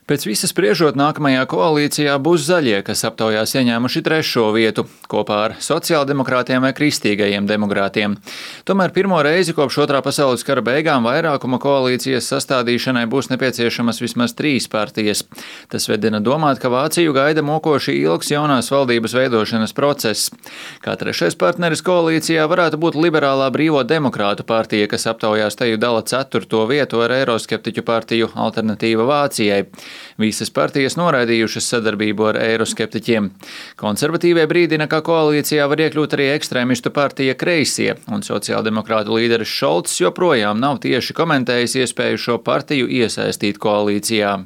Pēc visa spriežot, nākamajā koalīcijā būs zaļie, kas aptaujās ieņēmuši 3. vietu, kopā ar sociāldemokrātiem vai kristīgajiem demokrātiem. Tomēr pirmo reizi kopš Otrā pasaules kara beigām vairākuma koalīcijas sastādīšanai būs nepieciešamas vismaz 3 partijas. Tas vedina domāt, ka Vāciju gaida mokoši ilgs jaunās valdības veidošanas process. Kā trešais partneris koalīcijā varētu būt liberālā brīvo demokrātu partija, kas aptaujās teju dala 4. vietu ar eiroskeptiķu partiju Alternatīva Vācijai. Visas partijas noraidījušas sadarbību ar eiroskeptiķiem. Konservatīvie brīdina, ka koalīcijā var iekļūt arī ekstrēmistu partija Kreisie, un sociāldemokrātu līderis Šolts joprojām nav tieši komentējis iespēju šo partiju iesaistīt koalīcijā.